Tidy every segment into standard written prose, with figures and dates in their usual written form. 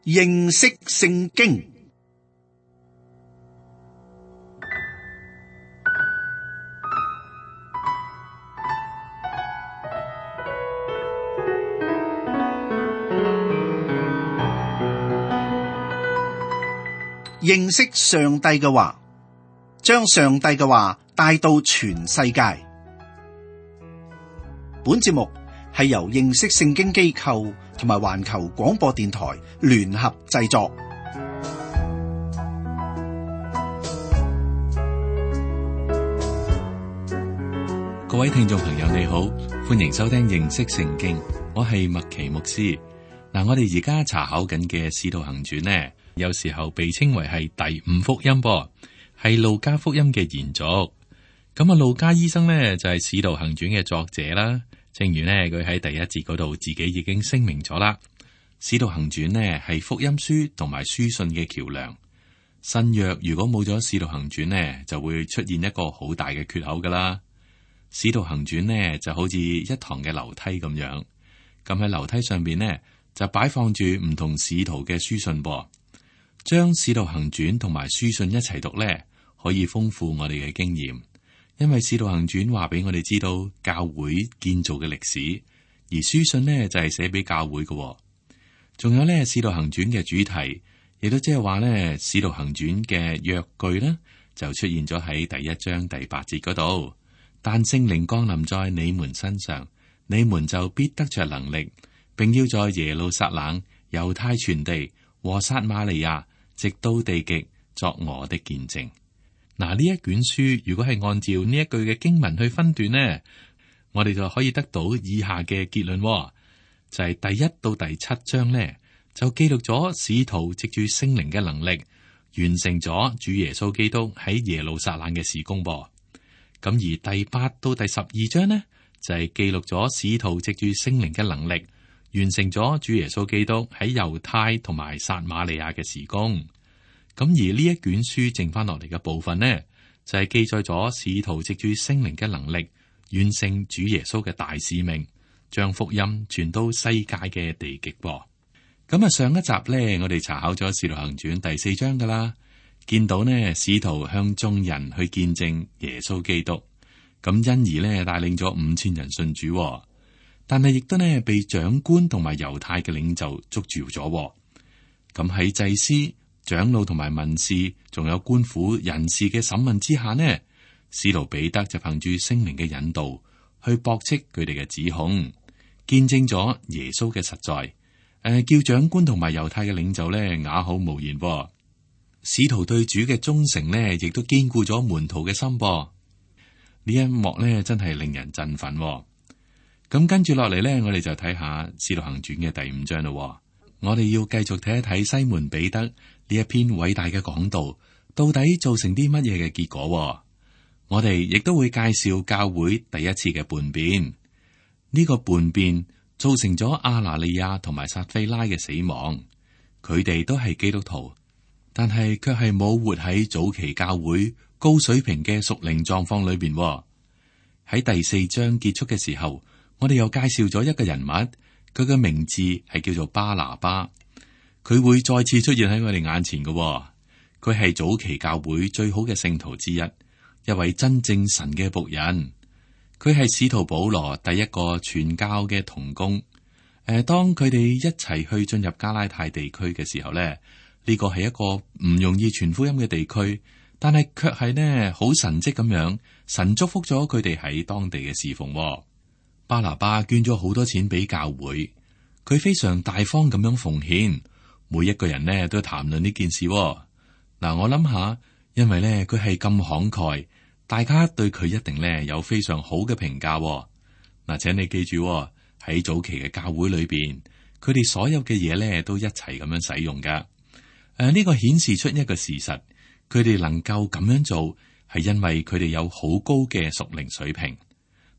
認識聖經。認識上帝嘅話，將上帝嘅話帶到全世界。本節目係由認識聖經機構同埋環球廣播電台聯合製作。各位聽眾朋友你好，歡迎收聽認識聖經，我係麥奇牧師。我哋而家查考緊嘅《使徒行傳》呢，有時候被稱為係第五福音噃，係路加福音嘅延續。咁路加醫生呢，就係《使徒行傳》嘅作者啦。正如呢，佢喺第一節嗰度自己已經聲明咗啦，《使徒行傳》呢係福音書同埋書信嘅橋樑。新約如果冇咗《使徒行傳》呢，就會出現一個好大嘅缺口噶啦。《使徒行傳》呢就好似一堂嘅樓梯咁樣，咁喺樓梯上邊呢，就擺放住唔同使徒嘅書信噃。將《使徒行傳》同埋書信一齊讀呢，可以豐富我哋嘅經驗。因為《使徒行傳》話俾我哋知道教會建造嘅歷史，而書信呢就係寫俾教會嘅。仲有呢，《使徒行傳》嘅主題，亦都即係話呢，《使徒行傳》嘅約句呢，就出現咗喺第一章第8節嗰度。但聖靈降臨在你們身上，你們就必得着能力，並要在耶路撒冷、猶太全地和撒瑪利亞，直到地極，作我的見證。嗱，呢一卷書如果係按照呢一句嘅經文去分段呢，我哋就可以得到以下嘅結論，就係第1到第7章呢，就記錄咗使徒藉住聖靈嘅能力，完成咗主耶穌基督喺耶路撒冷嘅事工噃。咁而第8到第12章呢，就係記錄咗使徒藉住聖靈嘅能力，完成咗主耶穌基督喺猶太同埋撒瑪利亞嘅事工。咁而呢一卷書剩翻落嚟嘅部分呢，就係記載咗使徒藉住聖靈嘅能力，完成主耶穌嘅大使命，將福音傳到世界嘅地極噃。咁上一集呢，我哋查考咗《使徒行傳》第4章噶啦，見到呢使徒向眾人去見證耶穌基督，咁因而呢帶領咗5000人信主，但係亦都呢被長官同埋猶太嘅領袖捉住咗。咁喺祭司、長老同埋文士，仲有官府人士嘅審問之下呢，使徒彼得就憑住聖靈嘅引導，去駁斥佢哋嘅指控，見證咗耶穌嘅實在。叫長官同埋猶太嘅領袖呢啞口無言。使徒對主嘅忠誠呢，亦都堅固咗門徒嘅心。呢一幕呢，真係令人振奮。咁跟住落嚟呢，我哋就睇下《使徒行傳》嘅第5章咯。我哋要繼續睇一睇西門彼得呢一篇偉大嘅講道，到底造成啲乜嘢嘅結果？我哋亦都會介紹教會第一次嘅叛變。呢個叛變造成咗亞拿尼亞同埋撒非拉嘅死亡。佢哋都係基督徒，但係卻係冇活喺早期教會高水平嘅屬靈狀況裏邊。喺第4章結束嘅時候，我哋又介紹咗一個人物。佢嘅名字係叫做巴拿巴，佢會再次出現喺我哋眼前嘅。佢係早期教會最好嘅聖徒之一，一位真正神嘅僕人。佢係使徒保羅第一個傳教嘅同工。當佢哋一齊去進入加拉太地區嘅時候咧，呢個係一個唔容易傳福音嘅地區，但係卻係呢好神蹟咁樣，神祝福咗佢哋喺當地嘅侍奉。巴拿巴捐咗好多錢俾教會，佢非常大方咁樣奉獻，每一個人呢都談論呢件事。我諗下，因為呢佢係咁慷慨，大家對佢一定呢有非常好嘅評價。請你記住，喺早期嘅教會裏邊，佢哋所有嘅嘢呢都一齊咁樣使用噶。呢個顯示出一個事實，佢哋能夠咁樣做，係因為佢哋有好高嘅屬靈水平。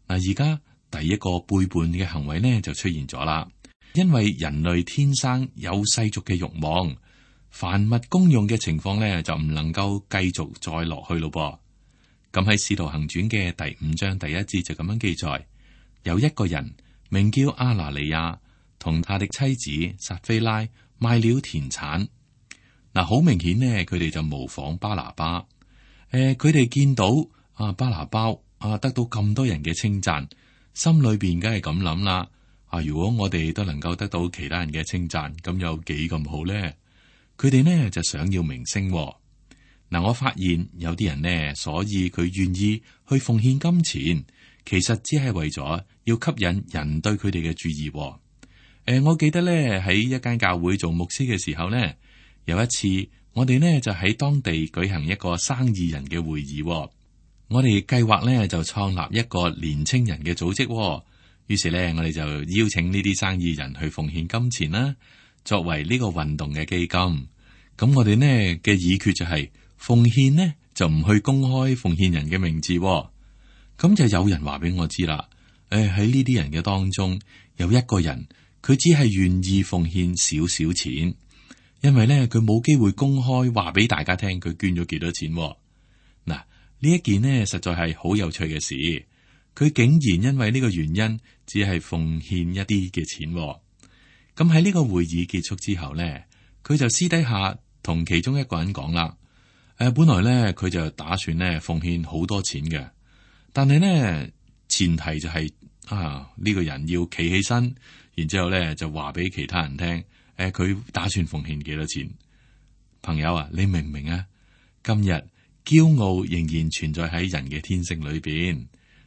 而家第一個背叛嘅行為呢就出現咗啦，因為人類天生有世俗嘅慾望，凡物公用嘅情況呢就唔能夠繼續再落去咯噃。咁喺《使徒行傳》嘅第5章第1節就咁樣記載，有一個人名叫亞拿尼亞，同他的妻子撒非拉賣了田產。嗱，好明顯呢，佢哋就模仿巴拿巴。佢哋見到巴拿巴得到咁多人嘅稱讚，心裏邊梗係咁諗啦。如果我哋都能夠得到其他人嘅稱讚，咁有幾咁好咧？佢哋呢就想要名聲。嗱，我發現有啲人呢，所以佢願意去奉獻金錢，其實只係為咗要吸引人對佢哋嘅注意。我記得咧喺一間教會做牧師嘅時候呢，有一次我哋呢就喺當地舉行一個生意人嘅會議。我哋計劃呢就創立一個年青人嘅組織。於是呢，我哋就邀請呢啲生意人去奉獻金錢啦，作為呢個運動嘅基金。咁我哋呢嘅議決就係奉獻呢就唔去公開奉獻人嘅名字。咁就有人話俾我知啦。喺呢啲人嘅當中，有一個人佢只係願意奉獻少少錢，因為呢，佢冇機會公開話俾大家聽佢捐咗幾多錢。嗱，呢一件呢實在係好有趣嘅事。佢竟然因為呢個原因，只係奉獻一啲嘅錢。咁喺呢個會議結束之後呢，佢就私底下同其中一個人講啦。本來呢，佢就打算呢奉獻好多錢嘅，但係呢前提就係呢個人要企起身，然之後呢就話俾其他人聽，佢打算奉獻幾多錢。朋友啊，你明唔明啊？今日驕傲仍然存在喺人嘅天性裏邊。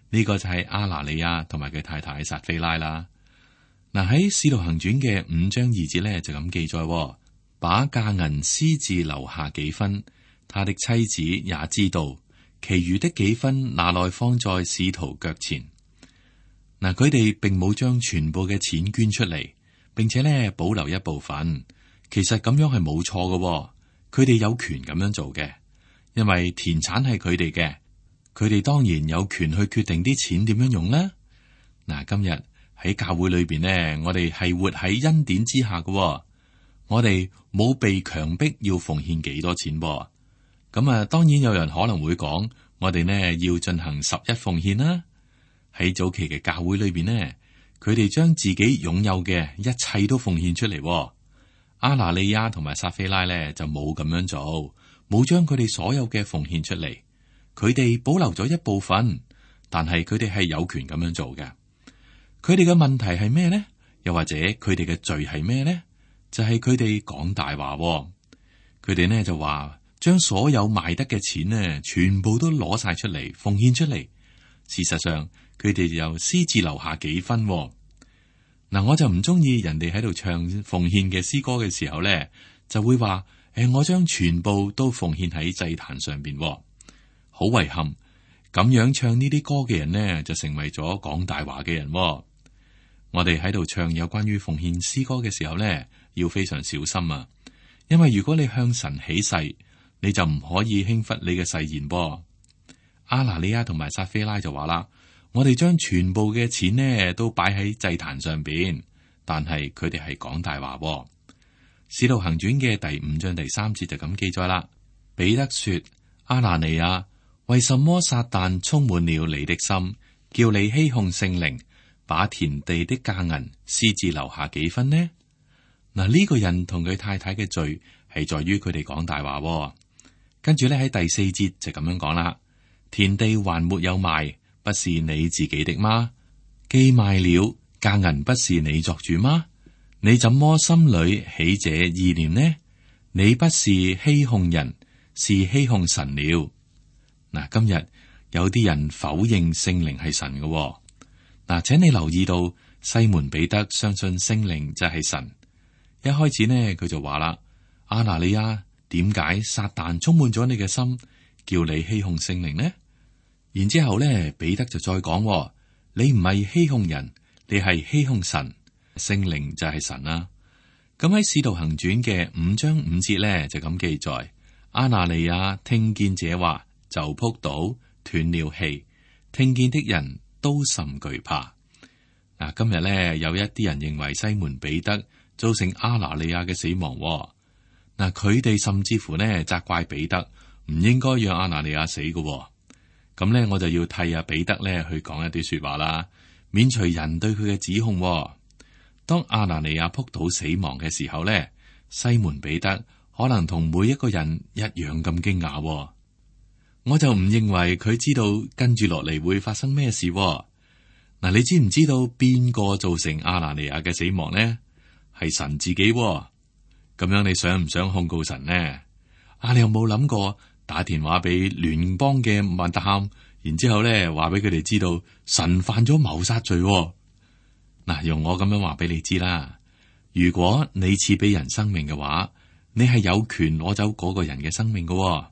呢個就係亞拿尼亞同埋佢太太撒非拉啦。嗱，喺《使徒行傳》嘅5章2節咧就咁記載，把價銀私自留下幾分，他的妻子也知道，其餘的幾分拿來放在使徒腳前。嗱，佢哋並冇將全部嘅錢捐出嚟，並且咧保留一部分。其實咁樣係冇錯嘅，佢哋有權咁樣做嘅，因為田產係佢哋嘅。佢哋當然有權去決定啲錢點樣用啦。嗱，今日喺教會裏邊呢，我哋係活喺恩典之下嘅，我哋冇被強迫要奉獻幾多錢噃。咁當然有人可能會講，我哋呢要進行11奉獻啦。喺早期嘅教會裏邊呢，佢哋將自己擁有嘅一切都奉獻出嚟。亞拿尼亞同埋撒非拉呢就冇咁樣做，冇將佢哋所有嘅奉獻出嚟。佢哋保留咗一部分，但係佢哋係有權咁樣做嘅。佢哋嘅問題係咩呢？又或者佢哋嘅罪係咩呢？就係佢哋講大話。佢哋呢就話將所有賣得嘅錢呢，全部都攞晒出嚟奉獻出嚟。事實上，佢哋又私自留下幾分。嗱，我就唔中意人哋喺度唱奉獻嘅詩歌嘅時候呢，就會話我將全部都奉獻喺祭壇上邊。好遺憾，咁樣唱呢啲歌嘅人呢，就成為咗講大話嘅人。我哋喺度唱有關於奉獻詩歌嘅時候呢，要非常小心啊！因為如果你向神起誓，你就唔可以輕忽你嘅誓言噃。亞拿尼亞同埋撒非拉就話啦，我哋將全部嘅錢呢都擺喺祭壇上邊，但係佢哋係講大話。使徒行傳嘅第5章第3節就咁記載啦。彼得說：亞拿尼亞，為什麼撒旦充滿了你的心，叫你欺哄聖靈，把田地的價銀私自留下幾分呢？嗱，呢個人同佢太太嘅罪係在於佢哋講大話。跟住咧喺第4節就咁樣講啦：田地還沒有賣，不是你自己的嗎？既賣了，價銀不是你作主嗎？你怎麼心裏起這意念呢？你不是欺哄人，是欺哄神了。嗱，今日有啲人否認聖靈係神嘅。嗱，請你留意到西門彼得相信聖靈就係神。一開始呢，佢就話啦：亞拿尼亞，點解撒旦充滿咗你嘅心，叫你欺哄聖靈呢？然之後咧，彼得就再講：你唔係欺哄人，你係欺哄神，聖靈就係神啦。咁喺使徒行傳嘅5章5節咧就咁記載：亞拿尼亞聽見這話，就仆倒斷了氣，聽見的人都甚懼怕。嗱，今日咧有一啲人認為西門彼得造成亞拿尼亞嘅死亡。嗱，佢哋甚至乎呢責怪彼得唔應該讓亞拿尼亞死嘅。咁咧，我就要替阿彼得咧去講一啲說話啦，免除人對佢嘅指控。當亞拿尼亞仆倒死亡嘅時候咧，西門彼得可能同每一個人一樣咁驚訝。我就唔認為佢知道跟住落嚟會發生咩事。嗱，你知唔知道邊個造成亞拿尼亞嘅死亡呢？係神自己。咁樣你想唔想控告神呢？你有冇諗過打電話俾聯邦嘅密探，然之後咧話俾佢哋知道神犯咗謀殺罪？嗱，用我咁樣話俾你知啦。如果你賜俾人生命嘅話，你係有權攞走嗰個人嘅生命嘅。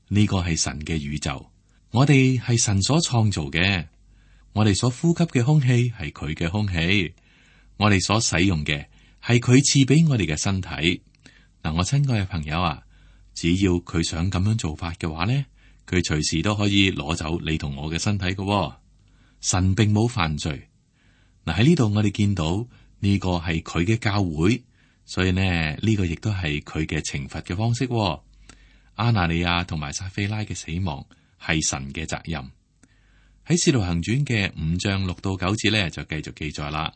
呢個係神嘅宇宙，我哋係神所創造嘅。我哋所呼吸嘅空氣係佢嘅空氣，我哋所使用嘅係佢賜俾我哋嘅身體。嗱，我親愛嘅朋友啊，只要佢想咁樣做法嘅話咧，佢隨時都可以攞走你同我嘅身體嘅。神並冇犯罪。嗱，喺呢度我哋見到呢個係佢嘅教會，所以呢個亦都係佢嘅懲罰嘅方式。亞拿尼亞同埋撒非拉嘅死亡係神嘅責任。喺《使徒行傳》嘅5章6到9節咧，就繼續記載啦。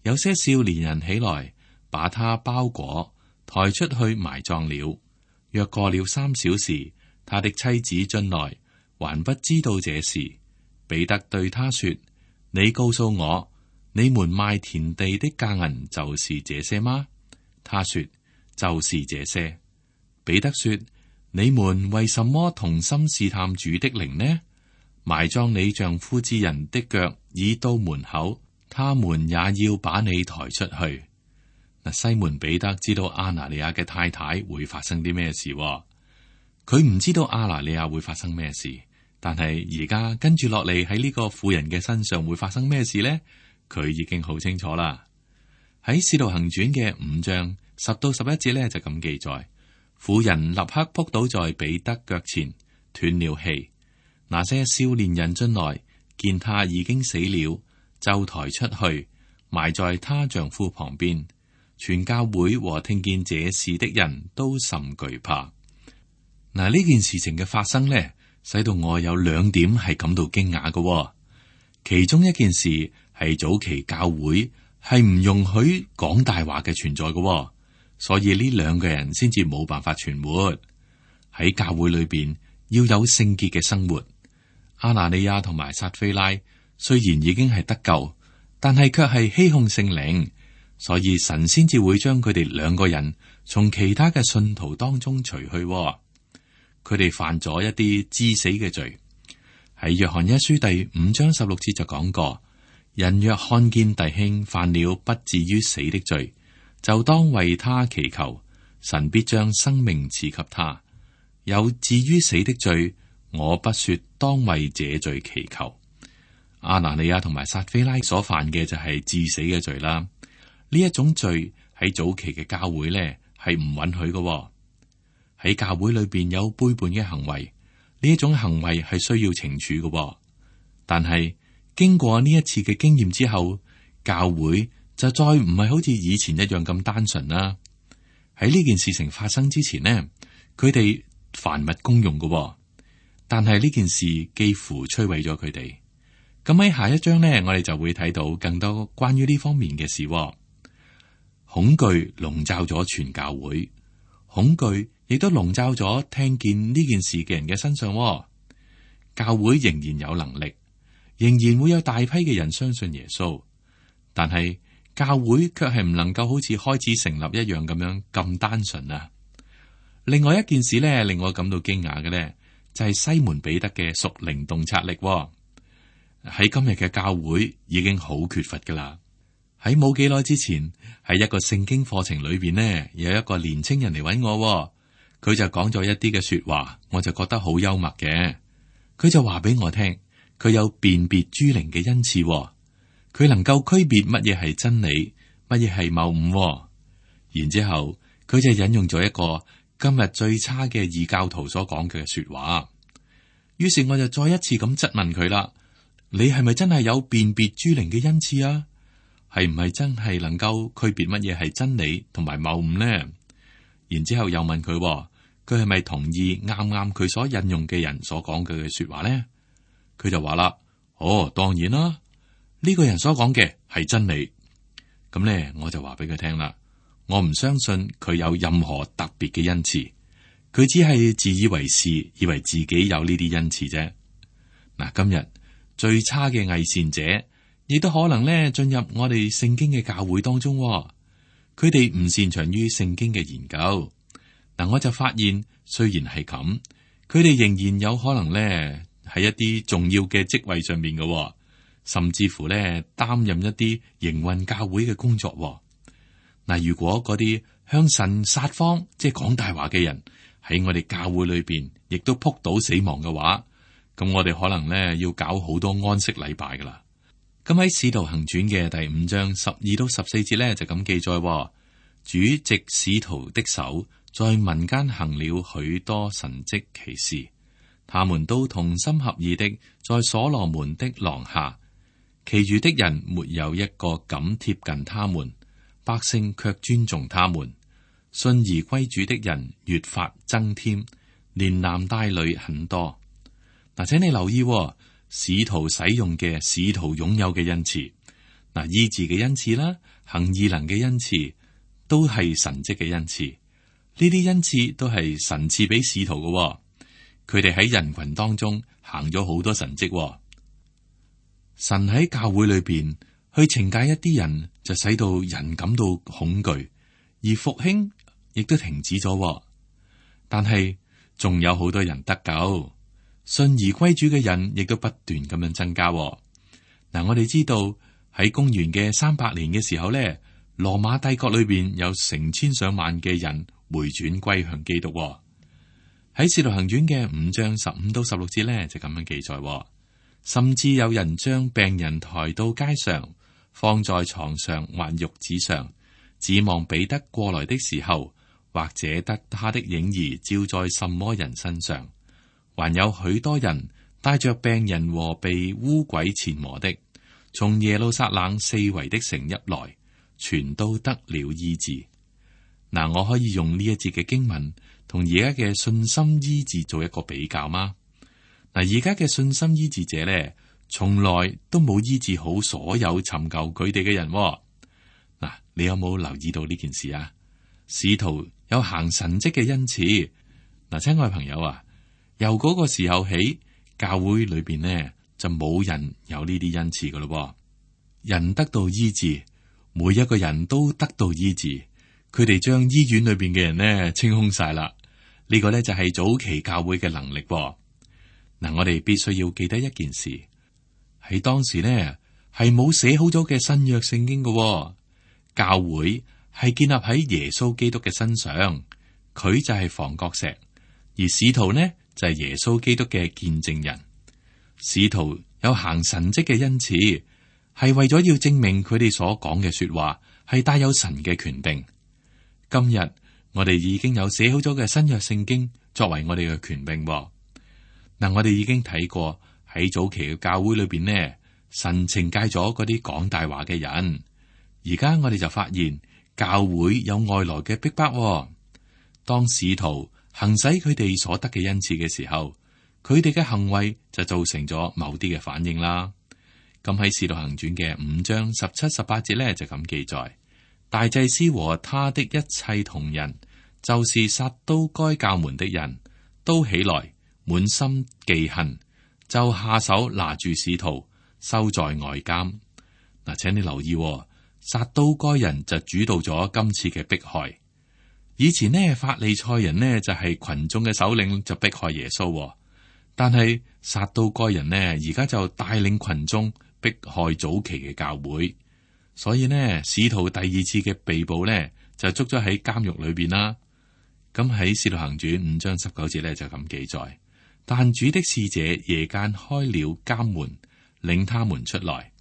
有些少年人起來，把他包裹抬出去埋葬了。約過了3小時，他的妻子進來，還不知道這事。彼得對他說：你告訴我，你們賣田地的價銀就是這些嗎？他說：就是這些。彼得說：你們為什麼同心試探主的靈呢？埋葬你丈夫之人的腳已到門口，他們也要把你抬出去。嗱，西門彼得知道亞拿尼亞嘅太太會發生啲咩事，佢唔知道亞拿尼亞會發生咩事，但係而家跟住落嚟喺呢個婦人嘅身上會發生咩事呢？佢已經好清楚啦。喺《使徒行傳》嘅5章10到11節咧就咁記載，婦人立刻撲倒在彼得腳前，斷了氣。那些少年人進來，見他已經死了，就抬出去，埋在他丈夫旁邊。全教會和聽見這事的人都甚懼怕。嗱，呢件事情嘅發生呢，使到我有2點係感到驚訝嘅。其中一件事係早期教會係唔容許講大話嘅存在嘅，所以呢2個人先至冇辦法存活。喺教會裏邊要有聖潔嘅生活。亞拿尼亞同埋撒非拉雖然已經係得救，但係卻係欺哄聖靈，所以神先至會將佢哋2個人從其他嘅信徒當中除去。佢哋犯咗一啲致死嘅罪。喺約翰一書第5章16節就講過：人若看見弟兄犯了不至於死的罪，就當為他祈求，神必將生命賜給他。有至於死的罪，我不說當為這罪祈求。亞拿尼亞同埋撒非拉所犯嘅就係致死嘅罪啦。呢一種罪喺早期嘅教會咧係唔允許嘅。喺教會裏邊有背叛嘅行為，呢一種行為係需要懲處嘅。但係經過呢一次嘅經驗之後，教會就再唔係好似以前一樣咁單純啦。喺呢件事情發生之前呢，佢哋凡物公用嘅。但係呢件事幾乎摧毀咗佢哋。咁喺下一章呢，我哋就會睇到更多關於呢方面嘅事。恐懼籠罩咗全教會，恐懼亦都籠罩咗聽見呢件事嘅人嘅身上。教會仍然有能力，仍然會有大批嘅人相信耶穌，但係教會卻係唔能夠好似開始成立一樣咁樣咁單純啊。另外一件事呢，令我感到驚訝嘅呢，就係西門彼得嘅屬靈洞察力。喺今日嘅教會已經好缺乏噶啦。喺冇幾耐之前，喺一個聖經課程裏邊呢，有一個年青人嚟揾我，佢就講咗一啲嘅說話，我就覺得好幽默嘅。佢就話俾我聽，佢有辨別諸靈嘅恩賜，佢能夠區別乜嘢係真理，乜嘢係謬誤。然之後佢就引用咗一個今日最差嘅異教徒所講嘅說話。於是我就再一次咁質問佢啦：你係咪真係有辨別諸靈嘅恩賜啊？係唔係真係能夠區別乜嘢係真理同埋謬誤呢？然之後又問佢，佢係咪同意啱啱佢所引用嘅人所講嘅說話呢？佢就話啦：哦，當然啦，呢個人所講嘅係真理。咁呢，我就話俾佢聽啦，我唔相信佢有任何特別嘅恩賜，佢只係自以為是，以為自己有呢啲恩賜啫。嗱，今日最差嘅偽善者，亦都可能咧進入我哋聖經嘅教會當中。佢哋唔擅長於聖經嘅研究。嗱，我就發現雖然係咁，佢哋仍然有可能咧喺一啲重要嘅職位上面嘅，甚至乎咧擔任一啲營運教會嘅工作。嗱，如果嗰啲向神撒謊，即係講大話嘅人喺我哋教會裏邊，亦都撲倒死亡嘅話，咁我哋可能咧要搞好多安息禮拜噶啦。咁喺《使徒行傳》嘅第5章12到14節咧就咁記載，主藉使徒的手，在民間行了許多神蹟奇事，他們都同心合意的在所羅門的廊下，其餘的人沒有一個敢貼近他們，百姓卻尊重他們。信而歸主的人越發增添，連男帶女很多。嗱，請你留意，使徒使用嘅使徒擁有嘅恩賜，嗱，醫治嘅恩賜啦，行異能嘅恩賜，都係神蹟嘅恩賜。呢啲恩賜都係神賜俾使徒嘅，佢哋喺人群當中行咗好多神蹟。神喺教會裏邊去懲戒一啲人，就使到人感到恐懼，而復興亦都停止咗。但係仲有好多人得救，信而歸主嘅人亦都不斷咁樣增加。嗱，我哋知道喺公元嘅300年嘅時候咧，羅馬帝國裏邊有成千上萬嘅人回轉歸向基督。喺《使徒行傳》嘅5章15到16節咧就咁樣記載，甚至有人將病人抬到街上，放在床上或褥子上，指望彼得過來的時候，或者得他的影兒照在什麼人身上。還有許多人帶着病人和被污鬼纏磨的，從耶路撒冷四圍的城邑來，全都得了醫治。嗱，我可以用呢一節嘅經文同而家嘅信心醫治做一個比較嗎？嗱，而家嘅信心醫治者咧，從來都冇醫治好所有尋求佢哋嘅人。嗱，你有冇留意到呢件事啊？使徒有行神蹟嘅恩賜。嗱，親愛朋友啊，由嗰個時候起，教會裏邊呢就冇人有呢啲恩賜噶咯。人得到醫治，每一個人都得到醫治。佢哋將醫院裏邊嘅人呢清空晒啦。呢個呢就係早期教會嘅能力。嗱，我哋必須要記得一件事，喺當時呢係冇寫好咗嘅新約聖經嘅。教會係建立喺耶穌基督嘅身上，佢就係房角石，而使徒呢就係耶穌基督嘅見證人。使徒有行神蹟嘅恩賜，係為咗要證明佢哋所講嘅說話係帶有神嘅權柄。今日我哋已經有寫好咗嘅新約聖經作為我哋嘅權柄。嗱，我哋已經睇過喺早期嘅教會裏邊呢，神懲戒咗嗰啲講大話嘅人。而家我哋就發現教會有外來嘅逼迫。當使徒行使佢哋所得嘅恩賜嘅時候，佢哋嘅行為就造成咗某啲嘅反應啦。咁喺《使徒行傳》嘅5章17、18節咧就咁記載：大祭司和他的一切同人，就是撒都該教門的人，都起來，滿心忌恨，就下手拿住使徒，收在外監。嗱，請你留意，撒都該人就主導咗今次嘅迫害。以前呢，法利賽人呢就係群眾嘅首領，就迫害耶穌。但係撒都該人呢，而家就帶領群眾迫害早期嘅教會。所以呢，使徒第二次嘅被捕呢，就捉咗喺監獄裏邊啦。咁喺《使徒行傳》5章19節咧就咁記載：但主的使者夜間開了監門，領他們出來。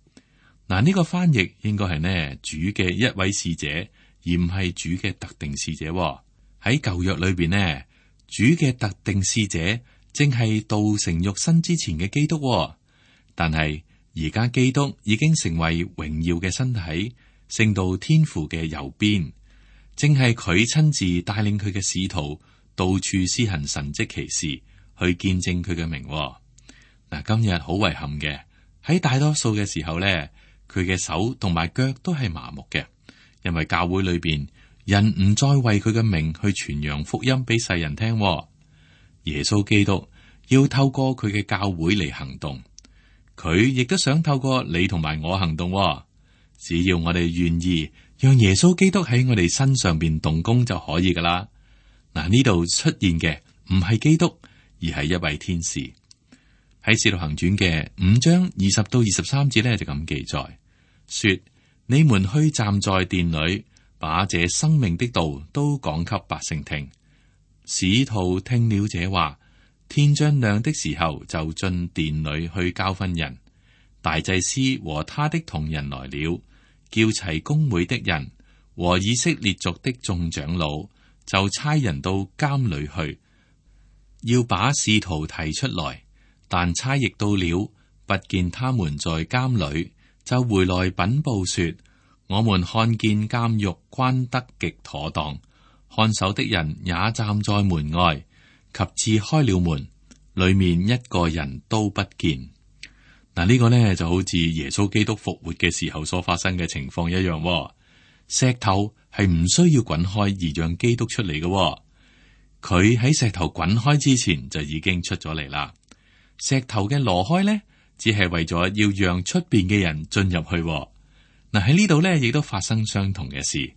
嗱，呢個翻譯應該係呢主嘅一位使者，而唔係主嘅特定使者。喺舊約裏邊呢，主嘅特定使者正係道成肉身之前嘅基督。但係而家基督已經成為榮耀嘅身體，升到天父嘅右邊，正係佢親自帶領佢嘅使徒到處施行神蹟奇事，去見證佢嘅名。嗱，今日好遺憾嘅，喺大多數嘅時候咧，佢嘅手同埋腳都係麻木嘅，因為教會裏邊人唔再為佢嘅名去傳揚福音俾世人聽。耶穌基督要透過佢嘅教會嚟行動，佢亦都想透過你同埋我行動。只要我哋願意讓耶穌基督喺我哋身上邊動工就可以噶啦。嗱，呢度出現嘅唔係基督，而係一位天使。喺《使徒行傳》嘅5章20到23節呢，就咁記載，說：你們去站在殿裏，把這生命的道都講給百姓聽。使徒聽了這話，天將亮的時候，就進殿裏去教訓人。大祭司和他的同人來了，叫齊公會的人和以色列族的眾長老，就差人到監裏去，要把使徒提出來。但差役到了，不見他們在監裏，就回來稟報說：我們看見監獄關得極妥當，看守的人也站在門外，及至開了門，裏面一個人都不見。嗱，呢個呢就好似耶穌基督復活嘅時候所發生嘅情況一樣。石頭係唔需要滾開而讓基督出嚟嘅，佢喺石頭滾開之前就已經出咗嚟啦。石頭嘅挪開呢，只係為咗要讓出邊嘅人進入去。嗱，喺呢度呢，亦都發生相同嘅事。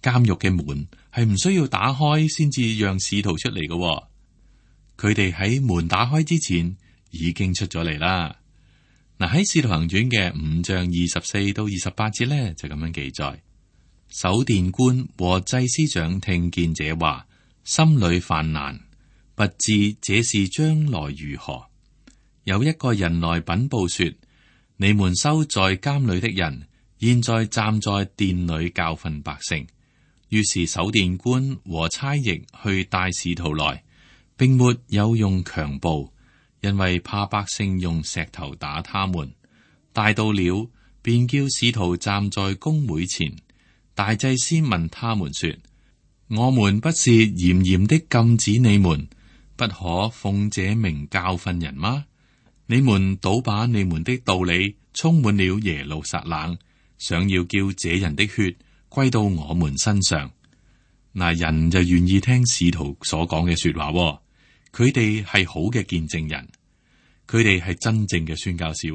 監獄嘅門係唔需要打開先至讓使徒出嚟嘅，佢哋喺門打開之前已經出咗嚟啦。嗱，喺《使徒行傳》嘅5章24到28節呢，就咁樣記載：守殿官和祭司長聽見這話，心裏煩難，不知這事將來如何。有一個人來稟報說：你們收在監裏的人，現在站在殿裏教訓百姓。於是守殿官和差役去帶使徒來，並沒有用強暴，因為怕百姓用石頭打他們。帶到了，便叫使徒站在公會前。大祭司問他們說：我們不是嚴嚴的禁止你們不可奉這名教訓人嗎？你們倒把你們的道理充滿了耶路撒冷，想要叫這人的血歸到我們身上。嗱，人就願意聽使徒所講嘅說話，佢哋係好嘅見證人，佢哋係真正嘅宣教士。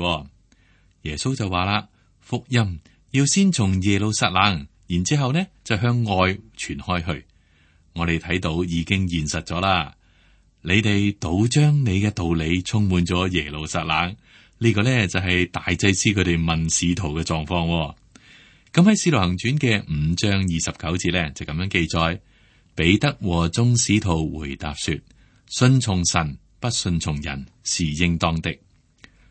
耶穌就話啦，福音要先從耶路撒冷，然之後呢就向外傳開去。我哋睇到已經現實咗啦。你哋倒將你嘅道理充滿咗耶路撒冷，呢個呢就係大祭司佢哋問使徒嘅狀況。咁喺《使徒行傳》嘅5章29節呢，就咁樣記載：彼得和眾使徒回答說：信從神，不信從人是應當的。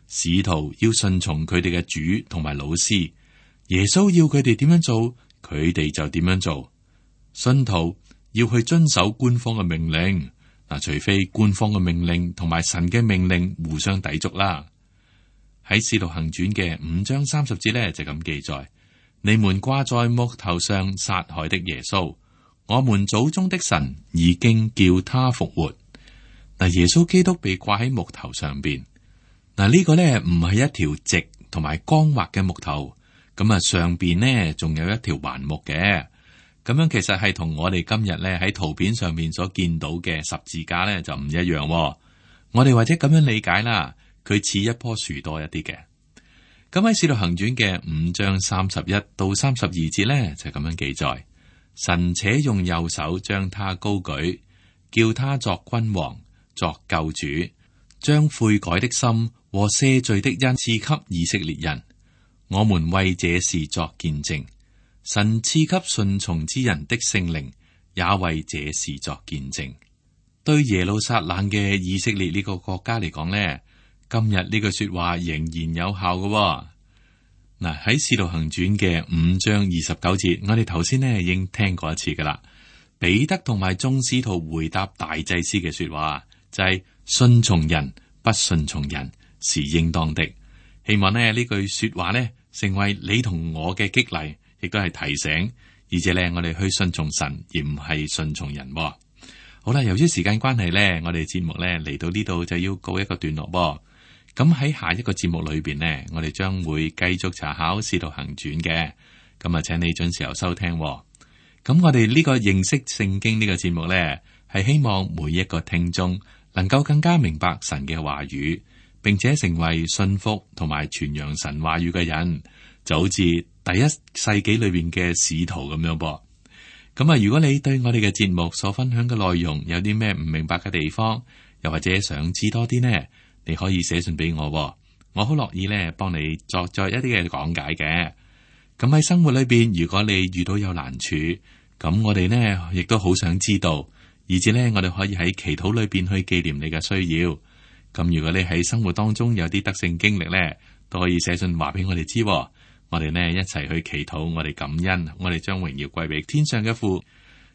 使徒要順從佢哋嘅主同埋老師，耶穌要佢哋點樣做，佢哋就點樣做。信徒要去遵守官方嘅命令。嗱，除非官方嘅命令同埋神嘅命令互相抵觸啦。喺《使徒行傳》嘅5章30節咧就咁記載：你們掛在木頭上殺害的耶穌，我們祖宗的神已經叫他復活。嗱，耶穌基督被掛喺木頭上邊。嗱，呢個咧唔係一條直同埋光滑嘅木頭，咁啊上邊呢仲有一條橫木嘅。咁樣其實係同我哋今日咧喺圖片上面所見到嘅十字架咧就唔一樣。我哋或者咁樣理解啦，佢似一棵樹多一啲嘅。咁喺《使徒行傳》嘅5章31到32節咧就咁樣記載：神且用右手將他高舉，叫他作君王，作救主，將悔改的心和赦罪的恩賜給以色列人。我們為這事作見證。神賜給順從之人的聖靈，也為這事作見證。對耶路撒冷嘅以色列呢個國家嚟講呢，今日呢句說話仍然有效嘅。嗱，喺《使徒行傳》嘅5章29節，我哋頭先呢已經聽過一次噶啦。彼得同埋眾使徒回答大祭司嘅說話，就係信從人，不信從人是應當的。希望呢句說話呢成為你同我嘅激勵。亦都係提醒，而且咧，我哋去順從神，而唔係順從人。好啦，由於時間關係咧，我哋節目咧嚟到呢度就要告一個段落。咁喺下一個節目裏邊呢，我哋將會繼續查考《使徒行傳》嘅。咁啊，請你準時收聽。咁我哋呢個認識聖經呢個節目呢，係希望每一個聽眾能夠更加明白神嘅話語，並且成為信服同埋傳揚神話語嘅人，就好似第一世紀裏邊嘅使徒咁樣噃。咁啊，如果你對我哋嘅節目所分享嘅內容有啲咩唔明白嘅地方，又或者想知多啲呢，你可以寫信俾我，我好樂意呢幫你作一啲嘅講解嘅。咁喺生活裏邊，如果你遇到有難處，咁我哋呢亦都好想知道，以至呢我哋可以喺祈禱裏邊去紀念你嘅需要。咁如果你喺生活當中有啲得勝經歷呢，都可以寫信話俾我哋知。我哋呢一齊去祈禱，我哋感恩，我哋將榮耀歸俾天上嘅父。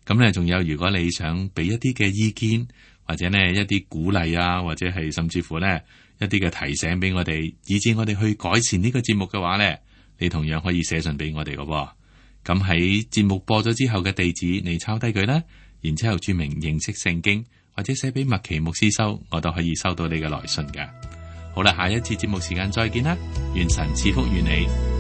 咁呢，仲有如果你想俾一啲嘅意見，或者呢一啲鼓勵啊，或者係甚至乎呢一啲嘅提醒俾我哋，以致我哋去改善呢個節目嘅話呢，你同樣可以寫信俾我哋嘅。咁喺節目播咗之後嘅地址，你抄低佢啦，然之後注明認識聖經，或者寫俾麥奇牧師收，我都可以收到你嘅來信嘅。好啦，下一次節目時間再見啦，願神賜福於你。